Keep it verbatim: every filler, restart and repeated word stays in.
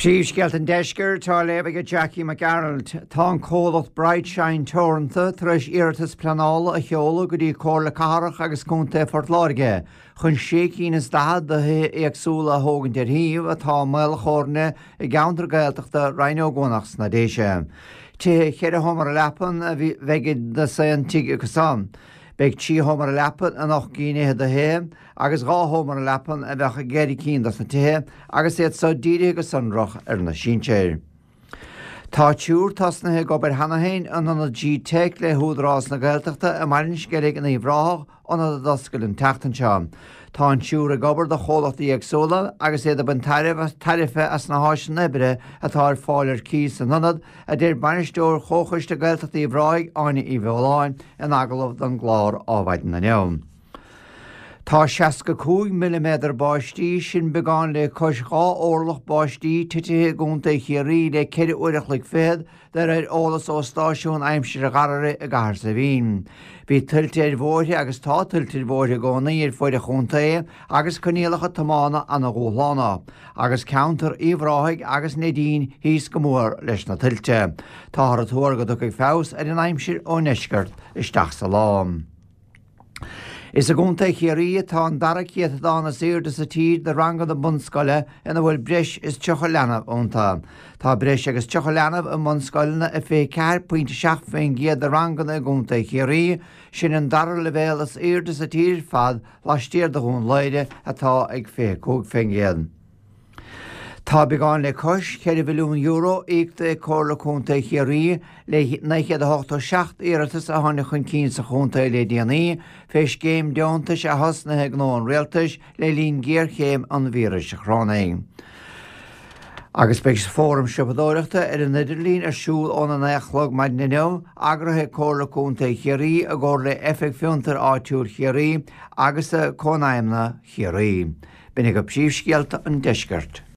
Príomhscéalta an Deiscirt á léamh ag Jackie McArnold. Tá an comhlacht Bright Shine Teoranta tar éis iarratas pleanála a sheoladh go dtí Comhairle Cathrach agus Contae Phort Láirge, chun sé cinn is daichead de thithe éagsúla a thógaint ar shuíomh atá i mbaol a chomhairne i gceantar Gaeltachta Rinn Ó gCuanach sna Déise. Tithe cheithre sheomra leapan a bheidh i d'aon tigh acu san. Beidh trí sheomra leapan in ocht gcinn fhichead de thithe agus dhá sheomra leapan a bheadh i gceithre cinn dos na tithe agus iad so dírithe go sonrach ar na sinsir. Tá triúr tosnaithe ag obair cheana féin in ionad G-Tech le hÚdarás na Gaeltachta i mBaile an Sceilg in Uíbh Ráthach, ionad a d'oscail an tseachtain seo. Tá an triúr ag obair do chomhlachtaí éagsúla agus iad ag baint tairbhe as na háiseanna oibre atá ar fáil ar cíos san ionad, a deir bainisteoir Chomhchoiste Gaeltachta Uíbh Ráthaigh, Áine Uí Bheoláin, in agallamh don gclár Adhmhaidin inniu. Tá seasca cúig milliméadar báistí, sin beagán le cois dhá orlach báistí, titithe i gContae Chiarraí le ceithre uair a chloig fichead, de réir eolas ó stáisiún aimsire Gharraí i gCathair Saidhbhín. Bhí tuilte ar bhóithre agus tá tuilte ar bhóithre i gcónaí ar fuaid an chontae agus coinníollacha tiomána ana-dhúshlánach, agus ceantar Uíbh Ráthaigh agus Neidín thíos go mór leis na tuilte. Táthar ag tuar go dtiocfaidh feabhas ar an aimsir ón ndeisceart isteach sa lá. Is i gContae Chiarraí atá an dara céatadán is airde sa tír de ranganna bunscoile ina bhfuil breis is tríocha leanbh iontu. Tá breis agus tríocha leanbh i mbunscoileanna i fiche ceathair pointe seacht faoin gcéad de ranganna i gContae Chiarraí, sin an dara leibhéal is airde sa tír ar fad laistiar de Dhún Laoghaire atá ag fiche cúig faoin gcéad. Tá beagán le cois ceithre mhilliún euro íoctha ag Comhairle Contae Chiarraí le naoi chéad a hochtó seacht iarratas a tháinig chun cinn sa chontae le déanaí fé scéim deontais a thosnaithe ag gnó an rialtais le linn géarchéim an víris chorónaigh. Agus beidh fóram siopadóireachta ar an idirlíon ar siúl óna naoi a chlog maidin inniu, eagraithe ag Comhairle Contae Chiarraí i gcomhar le Oifig Fiontair Áitiúil Chiarraí agus Cónaidhmeanna Chiarraí. B'in agaibh príomhscéalta an deiscirt.